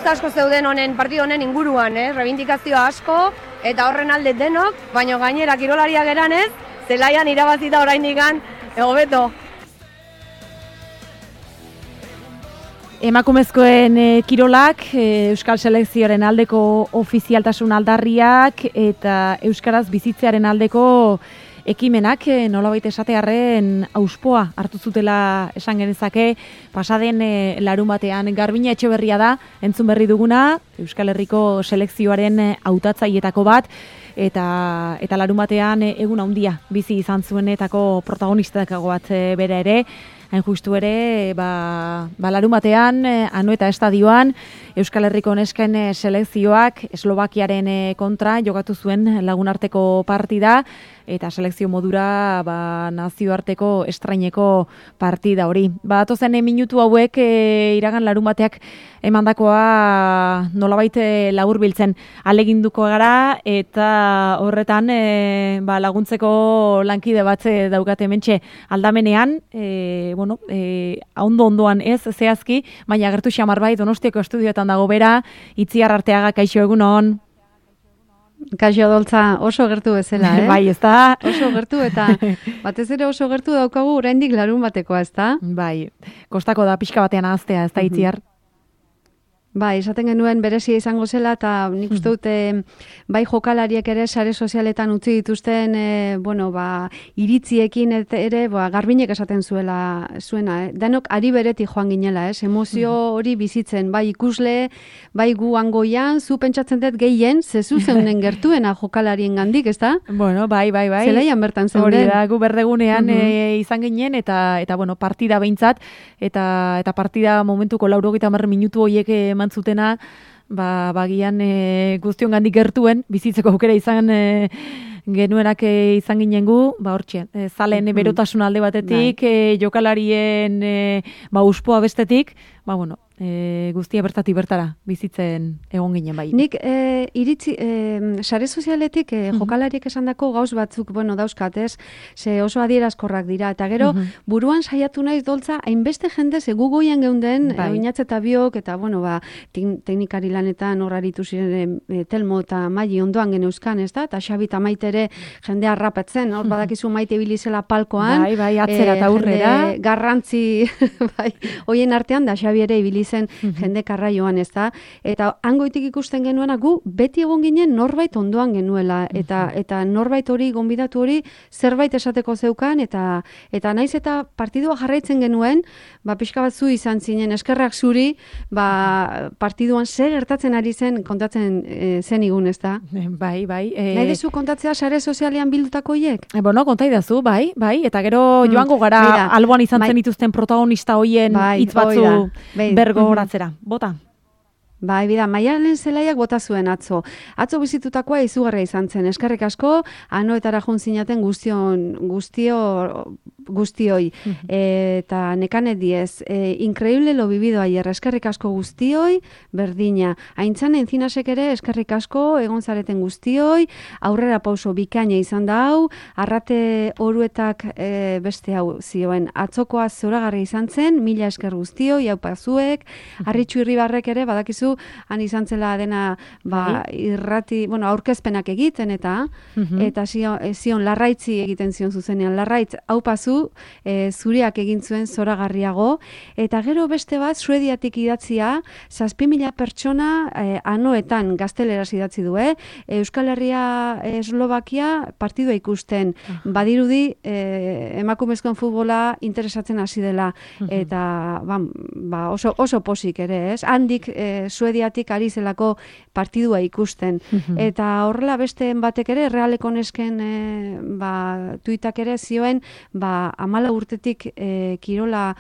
gauza asko zeuden honen partidu honen inguruan, reivindikazio asko eta horren alde denok, baina gainera kirolariak geranez, zelaian irabazita oraindikan hobeto. Emakumezkoen kirolak, Euskal Selekzioaren aldeko ofizialtasun aldarriak eta Euskaraz bizitzearen aldeko ekimenak nolabait esatearren auspoa hartu zutela esan genezake. Pasaden larunbatean Garbina Etxeberria da, entzun berri duguna, Euskal Herriko selekzioaren hautatzailetako bat, eta larunbatean egun handia bizi izan zuenetako protagonistetako bat bera ere. Hain justu ere, larunbatean, Anoeta estadioan, Euskal Herriko nesken selekzioak Eslovakiaren kontra jokatu zuen lagunarteko partida, eta selekzio modura nazioarteko estraineko partida hori. Atozen minutu hauek iragan larunbateak emandakoa nolabait laburbiltzen ahaleginduko gara, eta horretan laguntzeko lankide bat daukate hementxe aldamenean, ondo-ondoan ez, zehazki, baina agertu xamar bai, Donostiako estudioetan dago bera, Itziar Arteaga, kaixo egunon. Kaixo Adoltza, oso gertu bezala, Bai, ez da? Oso gertu, eta batez ere oso gertu daukagu oraindik larun batekoa, ez da? Bai, kostako da pixka batean ahaztea, ez da, Itziar? Bai, esaten genuen berezia izango zela, eta nik uste dute bai jokalariek ere sare sozialetan utzi dituzten iritziekin ere Garbinek esaten zuena. Denok ari bereti joan ginela, emozio hori bizitzen, bai ikusle, bai gu hangoian, zu pentsatzen dut gehien, zezu zeunden gertuena jokalarien gandik, ez da? Bueno, bai. Zelaian bertan zeuden. Hori da, gu berdegunean izan ginen, eta partida behintzat, eta partida momentuko 90 minutu horiek mantzutena, bagian guztion gandik gertuen, bizitzeko aukera izan genuenak izan ginen gu, hortxe, zalen berotasun alde batetik, jokalarien uspoa bestetik, guztia bertatik bertara bizitzen egon ginen bai. Nik iritzi, sare sozialetik jokalariek esandako gauz batzuk, dauzkat, ez? Ze oso adierazkorrak dira, eta gero buruan saiatu naiz Doltza, hainbeste jende ze gugoian geunden, oinatze eta biok, eta teknikari lanetan horraritu ziren Telmo eta Maili ondoan geneuzkan, ez da? Eta Xabi eta Maite ere jendea rapetzen, hor badakizu Maite bilizela palkoan. Bai, atzera eta aurrera. Garrantzi, hoien artean da Xabi ere ibilizen jende karraioan, ez da? Eta hangoitik ikusten genuena gu beti egon ginen norbait ondoan genuela, eta norbait hori, gonbidatu hori, zerbait esateko zeukan, eta naiz eta partidua jarraitzen genuen, pixka bat zu izan zinen, eskerrak zuri, partiduan zer gertatzen ari zen kontatzen zen igun, ez da? Bai. Nahi dezu kontatzea sare sozialean bildutako hiek? Konta idazu, bai, eta gero joango gara alboan izan zen dituzten protagonista hoien hitz batzu bergo horatzera. Bota? Bai, Maialen Zelaiak bota zuen atzo. Atzo bizitutakoa izugarria izan zen. Eskerrik asko, Anoetara joan zinaten guztioi. Eta Nekane Diez, increíble lo vivido ayer. Eskerrik asko guztioi, berdina. Aintzan Enzinasek ere, eskerrik asko, egon zareten guztioi, aurrera pauso bikaina izan da hau, Arrate Oruetak beste hau zioen. Atzokoa zoragarri izan zen, mila esker guztioi, hau pazuek, Arritxu Irribarrek ere, badakizu, han izan zela dena irrati, aurkezpenak egiten eta zion Larraitzi egiten zion zuzenean. Larraitz, hau pazu, zuriak egin zuen zoragarriago, eta gero beste bat, Suediatik idatzia, 7.000 pertsona Anoetan gazteleraz idatzi du, Euskal Herria Eslovakia partidua ikusten, badirudi emakumezkoen futbola interesatzen hasi dela, eta oso posik ere, ez? Handik Suediatik ari zelako partidua ikusten. Eta horrela beste batek ere, Realeko nesken tuitak ere zioen, 14 urtetik kirola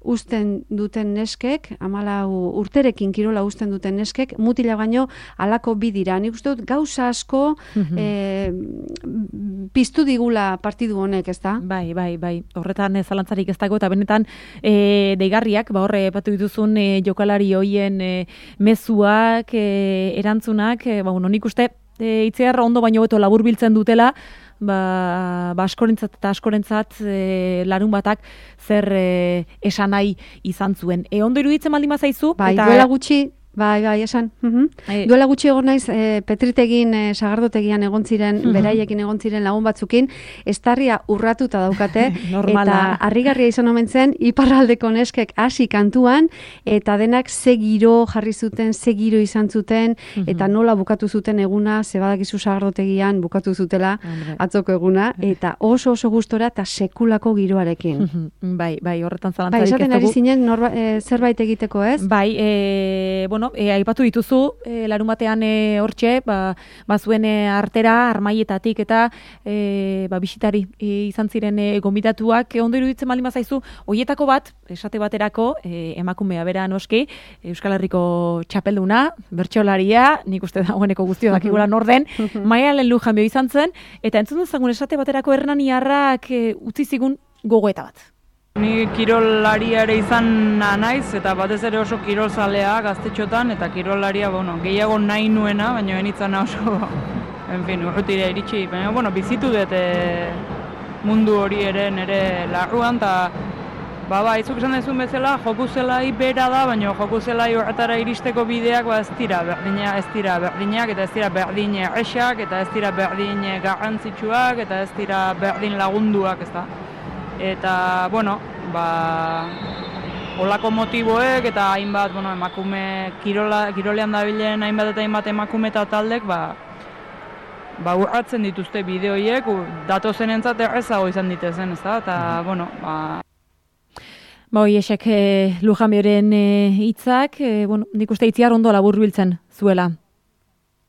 uzten duten neskek, 14 urterekin kirola uzten duten neskek, mutila baino halako bi dira. Nik uste dut gauza asko piztu digula partidu honek, ez da? Bai. Horretan zalantzarik ez dago, eta benetan deigarriak, horre batu dituzun jokalari hoien mezuak, erantzunak, nik uste Itziar ondo baino beto laburbiltzen dutela, askorentzat eta askorentzat larun batak zer esan nahi izan zuen. Ondo iruditzen baldin bazaizu? Bai, duela gutxi Bai, esan. Duela gutxi egon naiz, Petritegin, Sagardotegian egon ziren, beraiekin egon ziren lagun batzukin, estarria urratuta daukate, eta harrigarria izan omen zen, iparraldeko neskek hasi kantuan, eta denak ze giro jarri zuten, ze giro izan zuten, eta nola bukatu zuten eguna, zebadakizu Sagardotegian bukatu zutela atzoko eguna, eta oso gustora eta sekulako giroarekin. Bai, horretan zalantzarik ez dugu. Esaten ari zinen zerbait egiteko, ez? Bai, aipatu dituzu, larunbatean hortxe, zuen artera, armaietatik eta bisitari izan ziren gonbidatuak, ondo iruditzen baldin bazaizu, hoietako bat, esate baterako, emakumea bera noski, Euskal Herriko txapelduna, bertsolariaa, nik uste dagoeneko guztio dakigula norden, Maialen Lujanbio izan zen, eta entzun dezagun esate baterako Hernaniarrak utzi zigun gogoeta bat. Ni kirolaria ere izan naiz, eta batez ere oso kirolzalea gaztetxotan, eta kirolaria, gehiago nahi nuena, baina benitzana oso, urrutira iritsi, baina, bizitu dut mundu hori ere nire larruan, eta izuk esan dezun bezala, joku zelai bera da, baina joku zelai horretara iristeko bideak ez dira berdinak, eta ez dira berdin erresak, eta ez dira berdin garrantzitsuak, eta ez dira berdin lagunduak, ez da. Eta, holako motiboek eta hainbat, emakume kirolean dabilen hainbat eta hainbat emakume eta taldek, urratzen dituzte bideoiek, datozen entzat errezago izan ditezen, ez da, eta, Hoiesek Lujanbioren hitzak, nik uste itziar ondo laburbiltzen zuela.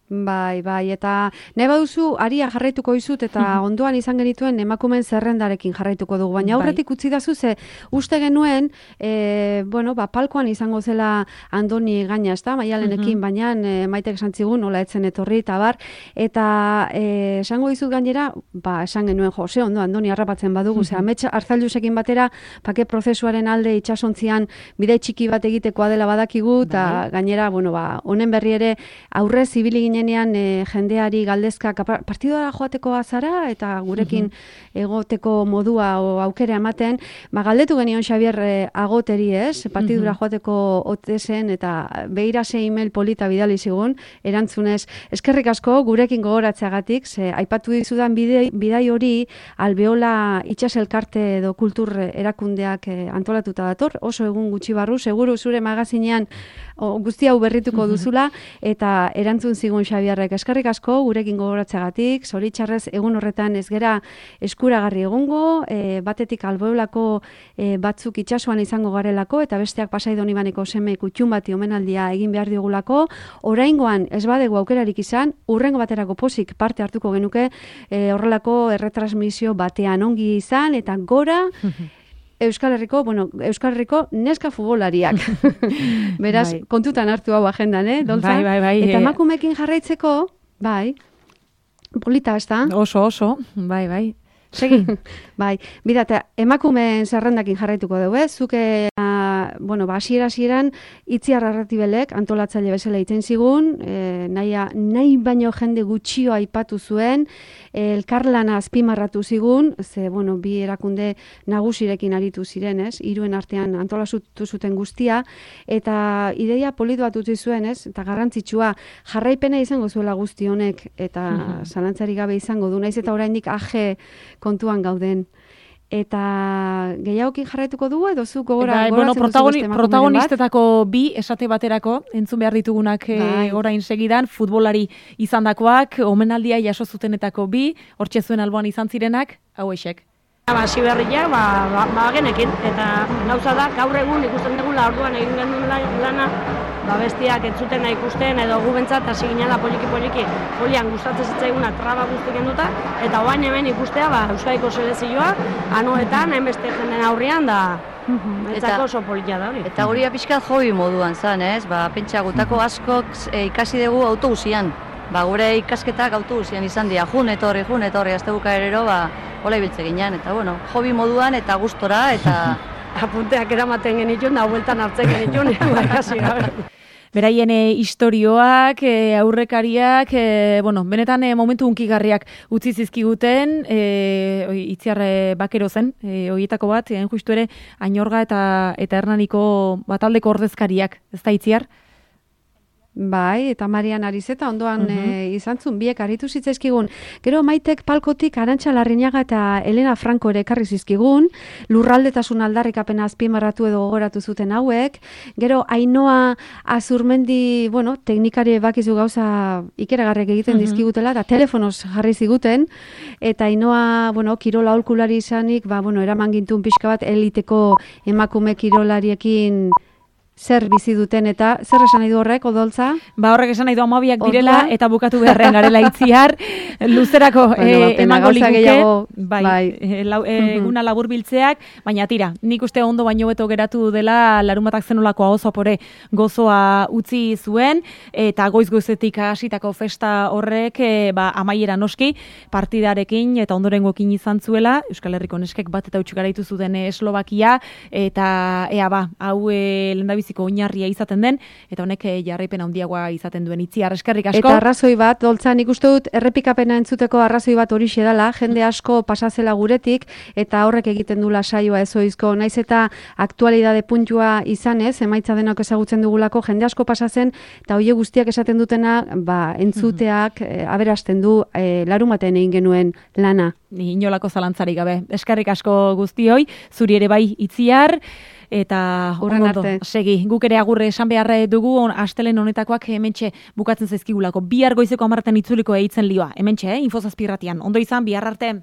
Bai, eta nahi baduzu aria jarraituko izut eta ondoan izan genituen emakumen zerrendarekin jarraituko dugu, baina aurretik utzi dazu ze uste genuen, palkoan izango zela Andoni Gaina, ez da, Maialenekin, baina Maitek esan zigun, nola etzen etorri, eta esango dizut gainera, esan genuen, ze ondo Andoni harrapatzen badugu, ze amets Arzailusekin batera, pake prozesuaren alde itxasontzian bide txiki bat egitekoa dela badakigu, eta gainera, honen berri ere aurrez ibili ginen jendeari galdezkak partidora joateko azara eta gurekin egoteko modua o aukera ematen, galdetu genion Xabier Agoteri, ez? Partidura joateko otezen eta beira ze email polita bidali zigun, erantzunez, eskerrik asko gurekin gogoratzeagatik, ze aipatu dizudan bidai hori Albeola itxaselkarte edo kultur erakundeak antolatuta dator, oso egun gutxi barru, seguru zure magazinean guzti hau berrituko duzula, eta erantzun zigun Xabiarrek, eskerrik asko gurekin gogoratzeagatik, zoritxarrez egun horretan ez gera eskuragarri egongo, batetik Albeolako batzuk itsasoan izango garelako, eta besteak Pasai Donibaneko seme kutxun bati omenaldia egin behar digulako, oraingoan ez badegu aukerarik izan, urrengo baterako pozik parte hartuko genuke, horrelako erretransmisio batean ongi izan, eta gora, Euskal Herriko neska futbolariak. Beraz, kontutan hartu hau agendan, Doltza? Bai. Eta emakumekin jarraitzeko, polita, ez da? Oso, bai. Segi. Bidate, emakumeen zerrendakin jarraituko dugu, zuke, hasieran Itziar Arratibelek antolatzaile bezala iten zigun, nahi baino jende gutxio aipatu zuen, elkarlana azpimarratu zigun, ze, bi erakunde nagusirekin aritu ziren, ez? Hiruen artean antolatu zuten guztia, eta ideia politu bat utzi zuen, ez? Eta garrantzitsua, jarraipena izango zuela guzti honek, eta zalantzari gabe izango du, naiz eta oraindik age kontuan gauden. Eta gehiagokin jarraituko dugu edo zu protagonistetako bi esate baterako entzun behar ditugunak orain segidan, futbolari izandakoak, omenaldia jaso zutenetako bi, hortxe zuen alboan izan zirenak, hauexek. Hasi berriak, genekin, eta gauza da, gaur egun ikusten dugula orduan egin genuen lana, bestiak entzuten ikusten edo gu bentsat hasi ginela poliki, holian gustatzen zitzaiguna traba guzti genduta, eta oain hemen ikustea, Euskadiko selezioa, anuetan, hainbeste jenden aurrian, da bentsako oso politia da hori. Eta hori pixkat hobi moduan zan, ez? Pentsa gutako askok ikasi dugu autobusian. Gure ikasketak autobusian izan dira, jun etorri, azte bukaerero, hola ibiltze ginen, eta hobi moduan eta gustora, eta apunteak eramaten genitun, da hueltan hartzen genitun, ikasi gabe. Beraien istorioak, aurrekariak, benetan momentu hunkigarriak utzi zizkiguten, Itziar Bakero zen, horietako bat, justu ere, Ainorga eta Hernaniko bataldeko ordezkariak, ez da Itziar? Bai, eta Marian Arizeta ondoan izan zuen, biek aritu zitzaizkigun. Gero Maitek palkotik Arantxa Larrinaga eta Elena Franco ere ekarri zizkigun, lurraldetasun aldarrikapena azpimarratu edo gogoratu zuten hauek. Gero Ainhoa Azurmendi, bueno, teknikari bakizu gauza ikeragarrek egiten dizkigutela, eta telefonoz jarri ziguten, eta Ainhoa, bueno, kirola aholkulari izanik, bueno, eraman gintun pixka bat eliteko emakume kirolariekin zer bizi duten eta zer esan nahi du horrek, Odoltza? Horrek esan nahi du 12ak direla eta bukatu beharrean garela itziar, luzerako emango liguke, eguna labur biltzeak, baina tira, nik uste ondo baino beto geratu dela Larunbatak zenolako ahozapore gozoa utzi zuen, eta goiz-goizetik hasitako festa horrek amaiera noski partidarekin eta ondorengoekin izan zuela, Euskal Herriko neskek bat eta utxik garaitu zuten Eslovakia, eta hau lehendabiziko oinarria izaten den, eta honek jarraipen handiagoa izaten duen Itziar, eskerrik asko. Eta arrazoi bat, Doltza, nik uste dut errepikapena entzuteko arrazoi bat horixe dela, jende asko pasazela guretik, eta horrek egiten dula saioa ezoizko, naiz eta aktualidade puntua izanez, emaitza denok ezagutzen dugulako, jende asko pasazen, eta hoie guztiak esaten dutena, entzuteak aberasten du Larunbatean egin genuen lana. Ni inolako zalantzarik gabe. Eskerrik asko guztioi, zuri ere bai Itziar, eta ondo segi. Guk ere agurre esan beharra dugu astelen honetakoak hementxe bukatzen zaizkigulako. Bihar goizeko 10 itzuliko eitzen lioa. Hementxe, Info Zazpi irratian. Ondo izan, bihar arte.